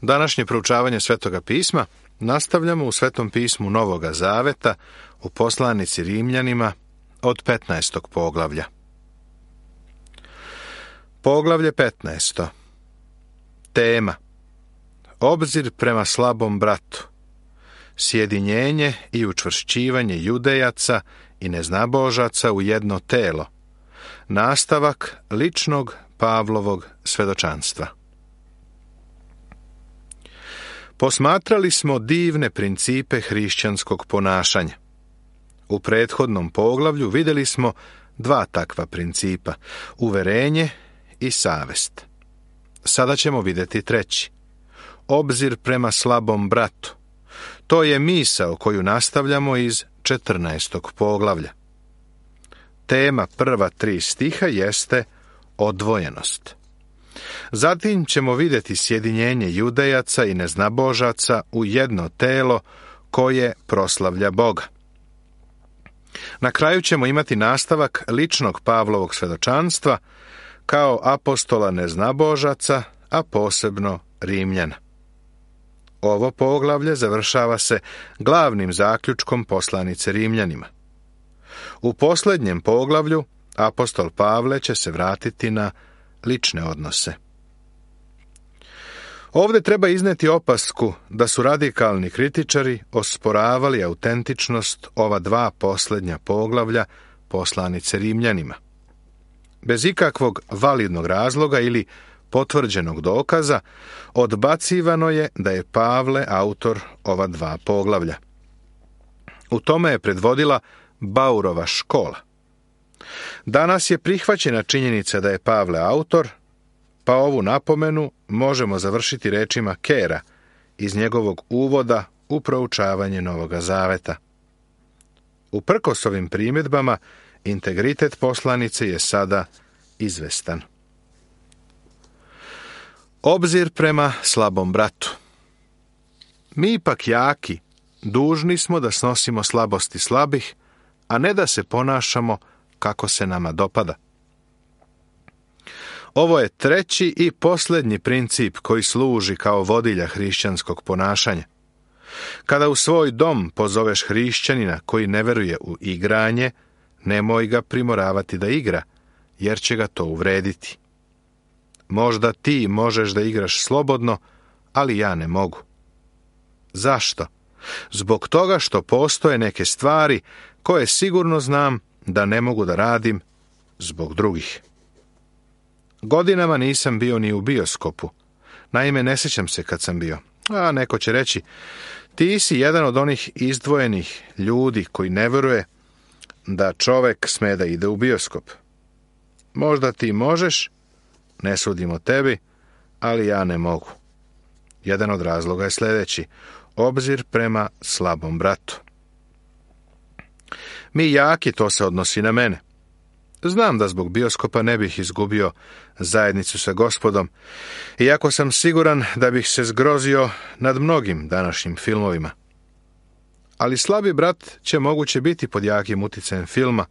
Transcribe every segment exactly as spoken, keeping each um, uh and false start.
Današnje proučavanje Svetoga pisma nastavljamo u Svetom pismu Novoga Zaveta u poslanici Rimljanima od petnaestog poglavlja. Poglavlje petnaesto. Tema: obzir prema slabom bratu, sjedinjenje i učvršćivanje judejaca i neznabožaca u jedno telo, nastavak ličnog Pavlovog svedočanstva. Posmatrali smo divne principe hrišćanskog ponašanja. U prethodnom poglavlju vidjeli smo dva takva principa, uverenje i savest. Sada ćemo vidjeti treći, obzir prema slabom bratu. To je misao koju nastavljamo iz četrnaestog poglavlja. Tema prva tri stiha jeste odvojenost. Zatim ćemo vidjeti sjedinjenje judejaca i neznabožaca u jedno telo koje proslavlja Boga. Na kraju ćemo imati nastavak ličnog Pavlovog svedočanstva kao apostola neznabožaca, a posebno Rimljana. Ovo poglavlje završava se glavnim zaključkom poslanice Rimljanima. U posljednjem poglavlju apostol Pavle će se vratiti na lične odnose. Ovdje treba izneti opasku da su radikalni kritičari osporavali autentičnost ova dva posljednja poglavlja poslanice Rimljanima. Bez ikakvog validnog razloga ili potvrđenog dokaza odbacivano je da je Pavle autor ova dva poglavlja. U tome je predvodila Baurova škola. Danas je prihvaćena činjenica da je Pavle autor, pa ovu napomenu možemo završiti rečima Kera iz njegovog uvoda u proučavanje Novoga Zaveta. Uprkos ovim primjedbama, integritet poslanice je sada izvestan. Obzir prema slabom bratu. Mi ipak jaki, dužni smo da snosimo slabosti slabih, a ne da se ponašamo kako se nama dopada. Ovo je treći i posljednji princip koji služi kao vodilja hrišćanskog ponašanja. Kada u svoj dom pozoveš hrišćanina koji ne veruje u igranje, nemoj ga primoravati da igra, jer će ga to uvrediti. Možda ti možeš da igraš slobodno, ali ja ne mogu. Zašto? Zbog toga što postoje neke stvari koje sigurno znam da ne mogu da radim zbog drugih. Godinama nisam bio ni u bioskopu. Naime, ne sjećam se kad sam bio. A neko će reći, ti si jedan od onih izdvojenih ljudi koji ne vjeruje da čovek sme da ide u bioskop. Možda ti možeš, ne sudim o tebi, ali ja ne mogu. Jedan od razloga je sljedeći, obzir prema slabom bratu. Mi jaki, to se odnosi na mene. Znam da zbog bioskopa ne bih izgubio zajednicu sa Gospodom, iako sam siguran da bih se zgrozio nad mnogim današnjim filmovima. Ali slabi brat će moguće biti pod jakim uticajem filma,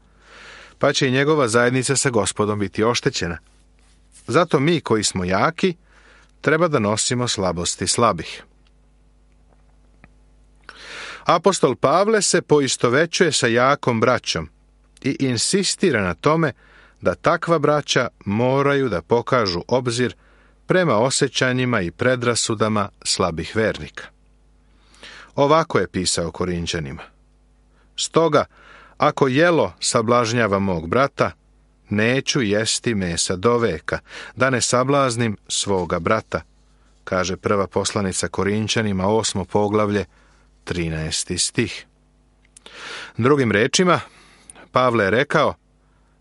pa će i njegova zajednica sa Gospodom biti oštećena. Zato mi koji smo jaki, treba da nosimo slabosti slabih. Apostol Pavle se poistovećuje sa jakom braćom i insistira na tome da takva braća moraju da pokažu obzir prema osjećanjima i predrasudama slabih vernika. Ovako je pisao Korinćanima. Stoga, ako jelo sablažnjava mog brata, neću jesti mesa do veka, da ne sablaznim svoga brata, kaže prva poslanica Korinćanima, osmo poglavlje, trinaesti stih. Drugim rečima, Pavle je rekao,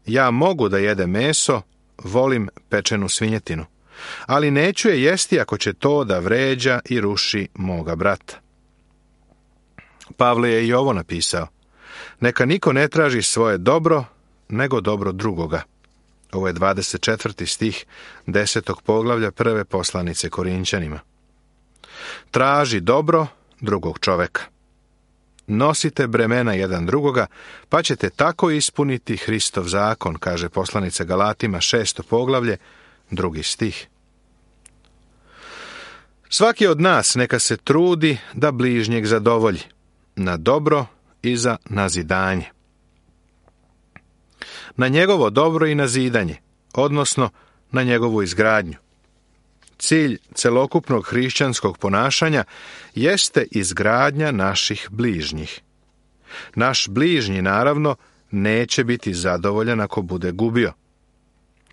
ja mogu da jedem meso, volim pečenu svinjetinu, ali neću je jesti ako će to da vređa i ruši moga brata. Pavle je i ovo napisao, neka niko ne traži svoje dobro, nego dobro drugoga. Ovo je dvadeset četvrti stih desetog poglavlja prve poslanice Korinćanima. Traži dobro drugog čoveka. Nosite bremena jedan drugoga, pa ćete tako ispuniti Hristov zakon, kaže poslanica Galatima šesto poglavlje, drugi stih. Svaki od nas neka se trudi da bližnjeg zadovolji, na dobro i za nazidanje. Na njegovo dobro i nazidanje, odnosno na njegovu izgradnju. Cilj celokupnog hrišćanskog ponašanja jeste izgradnja naših bližnjih. Naš bližnji, naravno, neće biti zadovoljan ako bude gubio.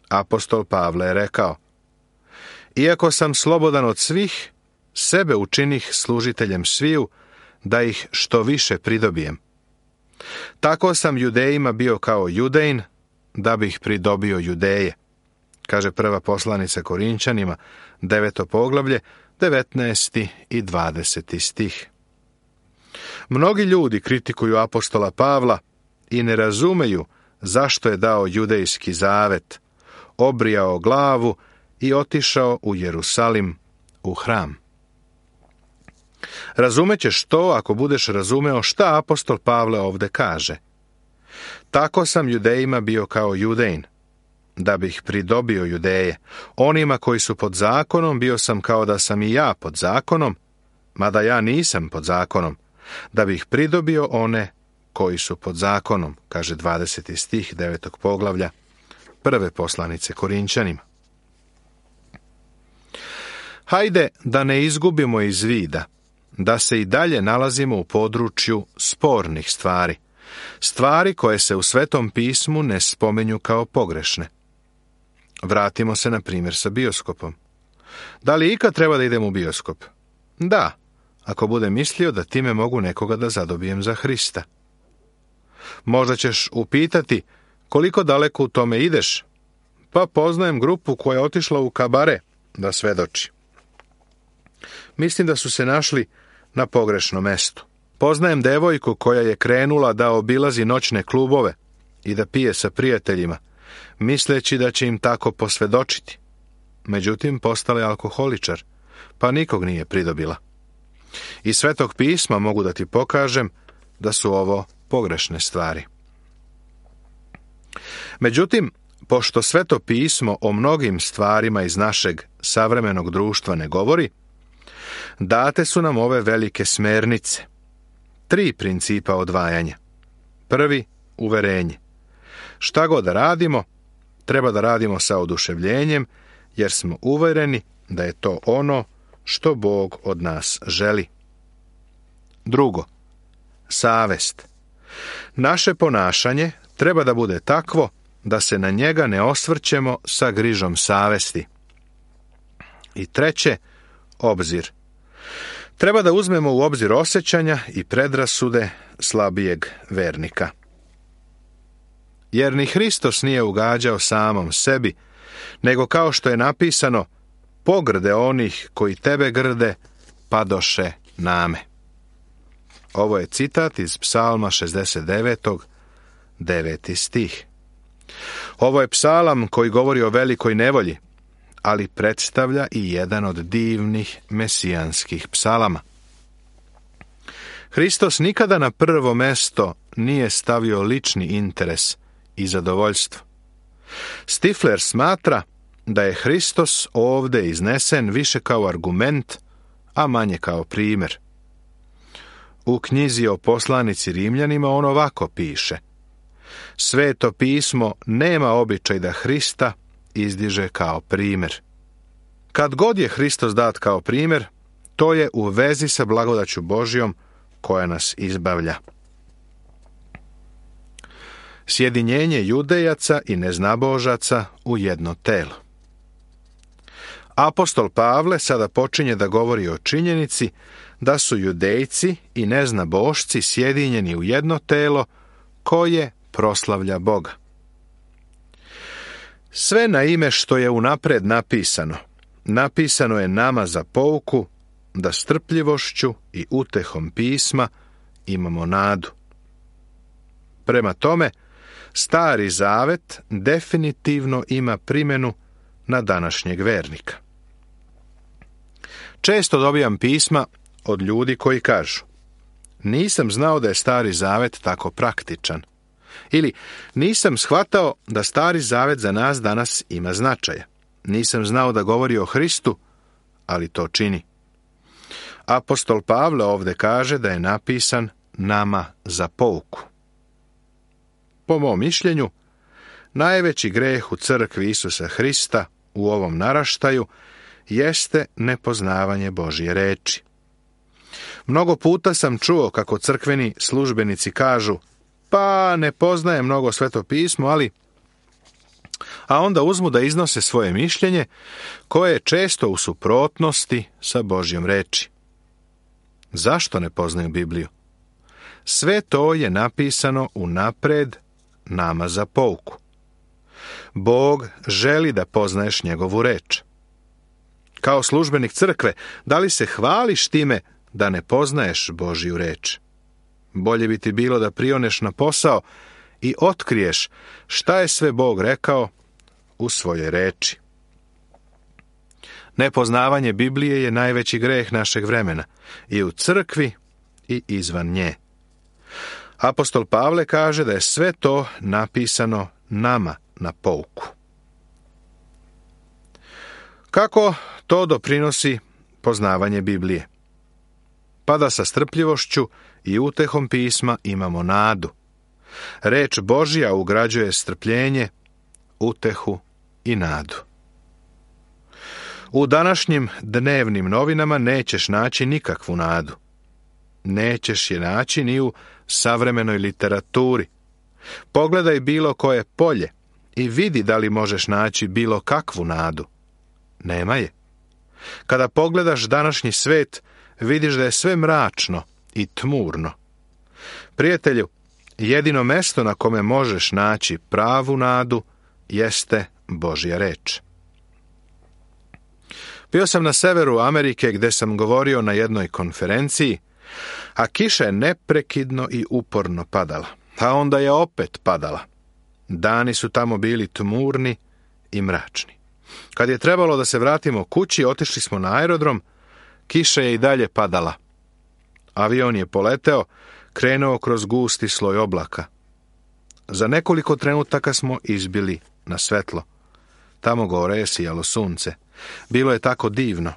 Apostol Pavle je rekao: iako sam slobodan od svih, sebe učinih služiteljem sviju, da ih što više pridobijem. Tako sam Judejima bio kao Judejin, da bih pridobio Judeje. Kaže prva poslanica Korinčanima, deveto poglavlje, devetnaesti i dvadeseti stih. Mnogi ljudi kritikuju apostola Pavla i ne razumeju zašto je dao judejski zavet, obrijao glavu i otišao u Jerusalim, u hram. Razumećeš to ako budeš razumeo šta apostol Pavle ovde kaže. Tako sam Judejima bio kao Judejin, da bih pridobio Judeje. Onima koji su pod zakonom bio sam kao da sam i ja pod zakonom, mada ja nisam pod zakonom, da bih pridobio one koji su pod zakonom, kaže dvadeseti stih devetog poglavlja prve poslanice Korinčanima. Hajde da ne izgubimo iz vida da se i dalje nalazimo u području spornih stvari, stvari koje se u Svetom pismu ne spomenju kao pogrešne. Vratimo se na primjer sa bioskopom. Da li ikad treba da idem u bioskop? Da, ako budem mislio da time mogu nekoga da zadobijem za Hrista. Možda ćeš upitati koliko daleko u tome ideš? Pa poznajem grupu koja je otišla u kabare da svedoči. Mislim da su se našli na pogrešnom mestu. Poznajem devojku koja je krenula da obilazi noćne klubove i da pije sa prijateljima, misleći da će im tako posvedočiti. Međutim, postala je alkoholičar, pa nikog nije pridobila. Iz Svetog pisma mogu da ti pokažem da su ovo pogrešne stvari. Međutim, pošto Sveto pismo o mnogim stvarima iz našeg savremenog društva ne govori, date su nam ove velike smernice. Tri principa odvajanja. Prvi, uverenje. Šta god da radimo, treba da radimo sa oduševljenjem, jer smo uvereni da je to ono što Bog od nas želi. Drugo, savest. Naše ponašanje treba da bude takvo da se na njega ne osvrćemo sa grižom savesti. I treće, obzir. Treba da uzmemo u obzir osjećanja i predrasude slabijeg vernika. Jer ni Hristos nije ugađao samom sebi, nego kao što je napisano, pogrde onih koji tebe grde, padoše name. Ovo je citat iz Psalma šezdeset devetog, deveti stih. Ovo je psalam koji govori o velikoj nevolji, ali predstavlja i jedan od divnih mesijanskih psalama. Hristos nikada na prvo mesto nije stavio lični interes i zadovoljstvo. Stifler smatra da je Hristos ovde iznesen više kao argument, a manje kao primjer. U knjizi o poslanici Rimljanima on ovako piše: Sveto pismo nema običaj da Hrista izdiže kao primjer. Kad god je Hristos dat kao primjer, to je u vezi sa blagodaću Božjom koja nas izbavlja. Sjedinjenje judejaca i neznabožaca u jedno telo. Apostol Pavle sada počinje da govori o činjenici da su judejci i neznabošci sjedinjeni u jedno telo koje proslavlja Boga. Sve na ime što je unapred napisano, napisano je nama za pouku, da strpljivošću i utehom pisma imamo nadu. Prema tome, Stari zavet definitivno ima primjenu na današnjeg vernika. Često dobijam pisma od ljudi koji kažu: nisam znao da je Stari zavet tako praktičan. Ili nisam shvatao da Stari zavet za nas danas ima značaja. Nisam znao da govori o Hristu, ali to čini. Apostol Pavle ovdje kaže da je napisan nama za pouku. Po mom mišljenju, najveći greh u crkvi Isusa Hrista u ovom naraštaju jeste nepoznavanje Božje reči. Mnogo puta sam čuo kako crkveni službenici kažu, pa ne poznaje mnogo Sveto pismo, ali... a onda uzmu da iznose svoje mišljenje, koje je često u suprotnosti sa Božjom reči. Zašto ne poznaju Bibliju? Sve to je napisano unapred nama za pouku. Bog želi da poznaješ njegovu reč. Kao službenik crkve, da li se hvališ time da ne poznaješ Božju reč? Bolje bi ti bilo da prioneš na posao i otkriješ šta je sve Bog rekao u svojoj reči. Nepoznavanje Biblije je najveći greh našeg vremena, i u crkvi i izvan nje. Apostol Pavle kaže da je sve to napisano nama na pouku. Kako to doprinosi poznavanje Biblije? Pa da sa strpljivošću i utehom pisma imamo nadu. Reč Božja ugrađuje strpljenje, utehu i nadu. U današnjim dnevnim novinama nećeš naći nikakvu nadu. Nećeš je naći ni u savremenoj literaturi. Pogledaj bilo koje polje i vidi da li možeš naći bilo kakvu nadu. Nema je. Kada pogledaš današnji svet, vidiš da je sve mračno i tmurno. Prijatelju, jedino mesto na kome možeš naći pravu nadu jeste Božja reč. Bio sam na severu Amerike gdje sam govorio na jednoj konferenciji, a kiša je neprekidno i uporno padala, a onda je opet padala. Dani su tamo bili tmurni i mračni. Kad je trebalo da se vratimo kući, otišli smo na aerodrom, kiša je i dalje padala. Avion je poleteo, krenuo kroz gusti sloj oblaka. Za nekoliko trenutaka smo izbili na svetlo. Tamo gore je sijalo sunce. Bilo je tako divno.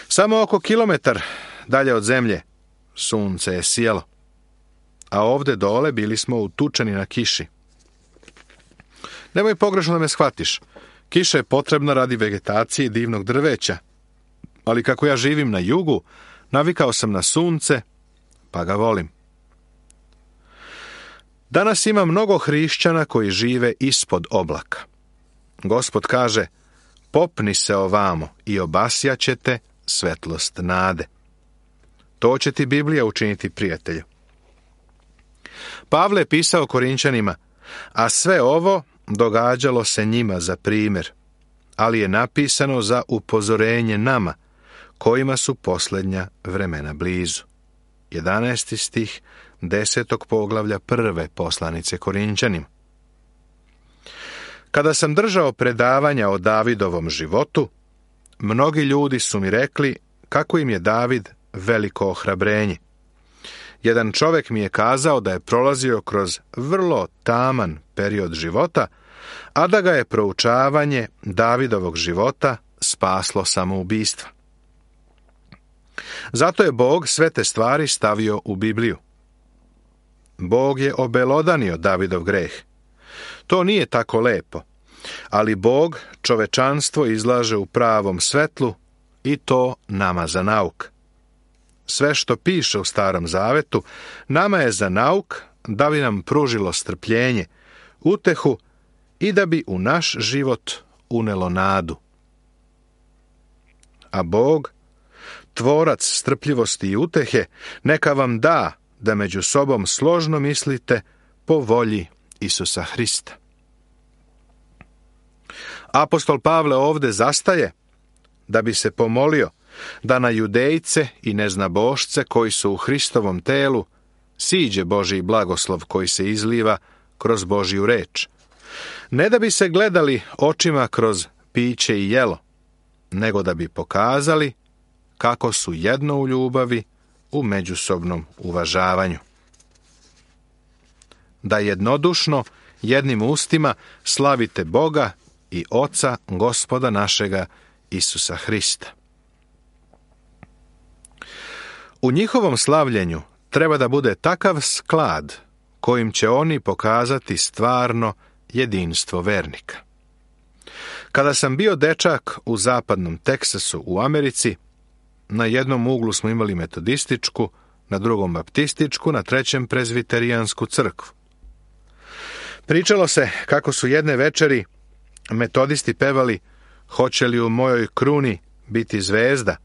Samo oko kilometar dalje od zemlje sunce je sijalo, a ovdje dole bili smo utučeni na kiši. Nemoj pogrešno da me shvatiš. Kiša je potrebna radi vegetacije divnog drveća, ali kako ja živim na jugu, navikao sam na sunce, pa ga volim. Danas ima mnogo hrišćana koji žive ispod oblaka. Gospod kaže, popni se ovamo i obasjaćete svetlost nade. To će ti Biblija učiniti, prijatelju. Pavle je pisao Korinčanima, a sve ovo događalo se njima za primjer, ali je napisano za upozorenje nama, kojima su posljednja vremena blizu. jedanaesti stih desetog poglavlja prve poslanice Korinčanima. Kada sam držao predavanja o Davidovom životu, mnogi ljudi su mi rekli kako im je David veliko ohrabrenje. Jedan čovjek mi je kazao da je prolazio kroz vrlo taman period života, a da ga je proučavanje Davidovog života spaslo samoubistva. Zato je Bog sve te stvari stavio u Bibliju. Bog je obelodanio Davidov greh. To nije tako lepo, ali Bog čovečanstvo izlaže u pravom svetlu i to nama za nauk. Sve što piše u Starom Zavetu nama je za nauk da bi nam pružilo strpljenje, utehu i da bi u naš život unelo nadu. A Bog, tvorac strpljivosti i utehe, neka vam da da među sobom složno mislite po volji Isusa Hrista. Apostol Pavle ovdje zastaje da bi se pomolio da na Judejce i neznabošce koji su u Hristovom telu siđe Božji blagoslov koji se izliva kroz Božju reč. Ne da bi se gledali očima kroz piće i jelo, nego da bi pokazali kako su jedno u ljubavi, u međusobnom uvažavanju. Da jednodušno, jednim ustima slavite Boga i Oca Gospoda našega Isusa Hrista. U njihovom slavljenju treba da bude takav sklad kojim će oni pokazati stvarno jedinstvo vernika. Kada sam bio dečak u zapadnom Teksasu u Americi, na jednom uglu smo imali metodističku, na drugom baptističku, na trećem prezbiterijansku crkvu. Pričalo se kako su jedne večeri metodisti pevali "Hoće li u mojoj kruni biti zvezda",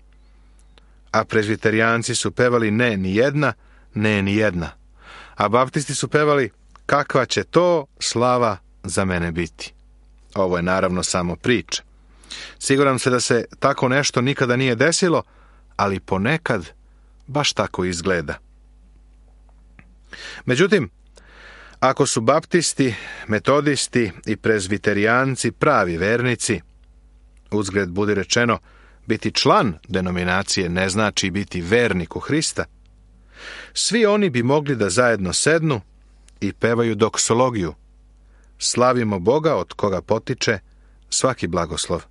a prezbiterijanci su pevali "Ne, ni jedna, ne, ni jedna", a baptisti su pevali "Kakva će to slava za mene biti". Ovo je naravno samo priča. Siguran se da se tako nešto nikada nije desilo, ali ponekad baš tako izgleda. Međutim, ako su baptisti, metodisti i prezbiterijanci pravi vernici, uzgred budi rečeno, biti član denominacije ne znači biti vernik u Hrista, svi oni bi mogli da zajedno sednu i pevaju doksologiju. Slavimo Boga od koga potiče svaki blagoslov.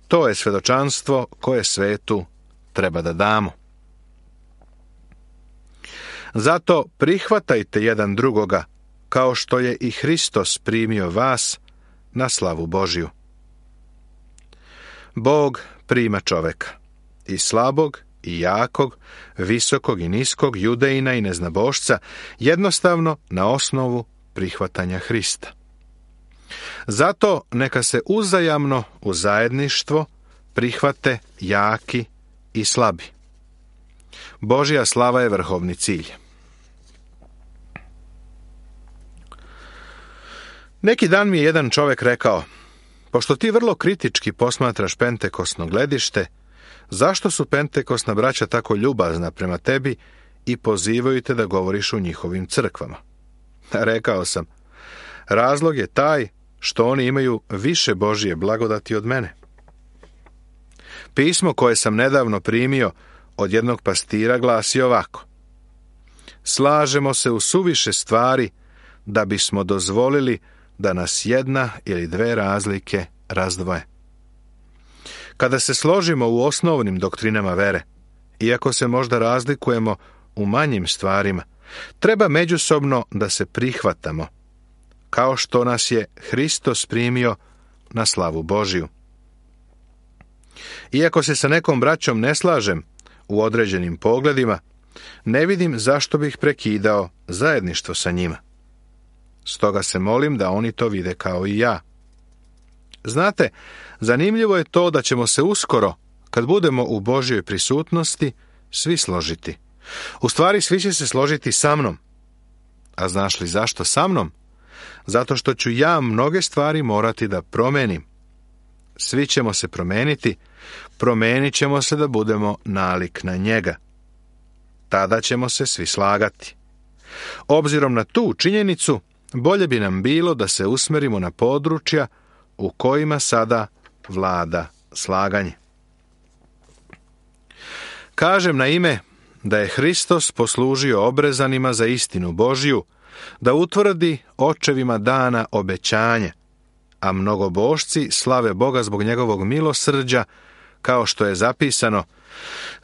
To je svedočanstvo koje svetu treba da damo. Zato prihvatajte jedan drugoga, kao što je i Hristos primio vas na slavu Božju. Bog prima čoveka, i slabog i jakog, visokog i niskog, judejina i neznabošca, jednostavno na osnovu prihvatanja Hrista. Zato neka se uzajamno u zajedništvo prihvate jaki i slabi. Božja slava je vrhovni cilj. Neki dan mi je jedan čovjek rekao: "Pošto ti vrlo kritički posmatraš pentekosno gledište, zašto su pentekosna braća tako ljubazna prema tebi i pozivaju te da govoriš u njihovim crkvama?" Rekao sam: "Razlog je taj što oni imaju više Božje blagodati od mene." Pismo koje sam nedavno primio od jednog pastira glasi ovako: "Slažemo se u suviše stvari da bismo dozvolili da nas jedna ili dve razlike razdvoje." Kada se složimo u osnovnim doktrinama vere, iako se možda razlikujemo u manjim stvarima, treba međusobno da se prihvatamo, kao što nas je Hristos primio na slavu Božju. Iako se sa nekom braćom ne slažem u određenim pogledima, ne vidim zašto bih prekidao zajedništvo sa njima. Stoga se molim da oni to vide kao i ja. Znate, zanimljivo je to da ćemo se uskoro, kad budemo u Božjoj prisutnosti, svi složiti. U stvari, svi će se složiti sa mnom. A znaš li zašto sa mnom? Zato što ću ja mnoge stvari morati da promenim. Svi ćemo se promeniti, promenit ćemo se da budemo nalik na njega. Tada ćemo se svi slagati. Obzirom na tu činjenicu, bolje bi nam bilo da se usmerimo na područja u kojima sada vlada slaganje. Kažem na ime da je Hristos poslužio obrezanima za istinu Božju, da utvrdi očevima dana obećanje, a mnogobošci slave Boga zbog njegovog milosrđa, kao što je zapisano: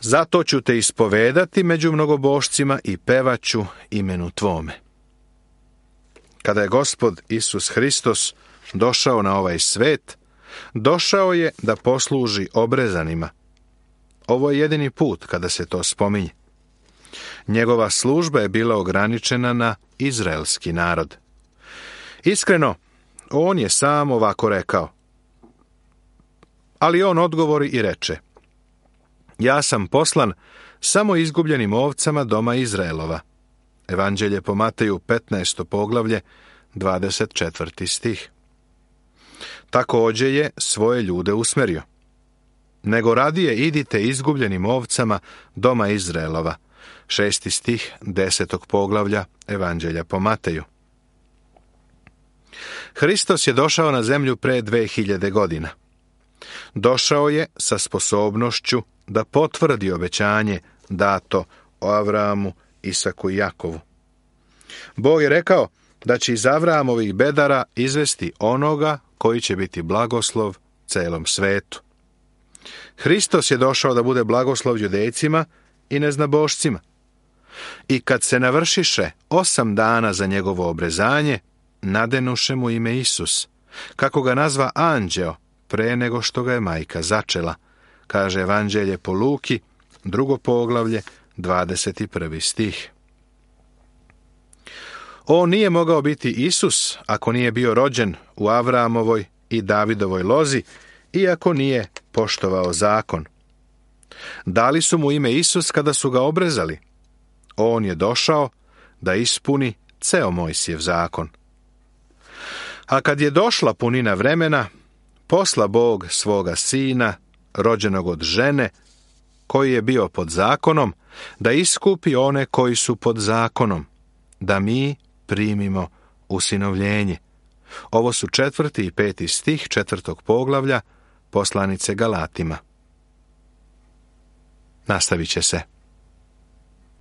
"Zato ću te ispovedati među mnogobošcima i pevaću imenu tvome." Kada je Gospod Isus Hristos došao na ovaj svet, došao je da posluži obrezanima. Ovo je jedini put kada se to spominje. Njegova služba je bila ograničena na izraelski narod. Iskreno, on je sam ovako rekao. Ali on odgovori i reče: "Ja sam poslan samo izgubljenim ovcama doma Izraelova." Evanđelje po Mateju petnaesto poglavlje, dvadeset četvrti stih. Također je svoje ljude usmerio. "Nego radije idite izgubljenim ovcama doma Izraelova." Šesti stih desetog poglavlja Evanđelja po Mateju. Hristos je došao na zemlju pre dve hiljade godina. Došao je sa sposobnošću da potvrdi obećanje dato o Avramu, Isaku i Jakovu. Bog je rekao da će iz Avramovih bedara izvesti onoga koji će biti blagoslov celom svetu. Hristos je došao da bude blagoslov Judejcima i neznabošcima. I kad se navršiše osam dana za njegovo obrezanje, nadenuše mu ime Isus, kako ga nazva anđeo, pre nego što ga je majka začela, kaže Evanđelje po Luki, drugo poglavlje, dvadeset prvi stih. On nije mogao biti Isus ako nije bio rođen u Avramovoj i Davidovoj lozi, iako nije poštovao zakon. Dali su mu ime Isus kada su ga obrezali. On je došao da ispuni ceo Mojsijev zakon. A kad je došla punina vremena, posla Bog svoga sina, rođenog od žene, koji je bio pod zakonom, da iskupi one koji su pod zakonom, da mi primimo usinovljenje. Ovo su četvrti i peti stih četvrtog poglavlja poslanice Galatima. Nastavit će se.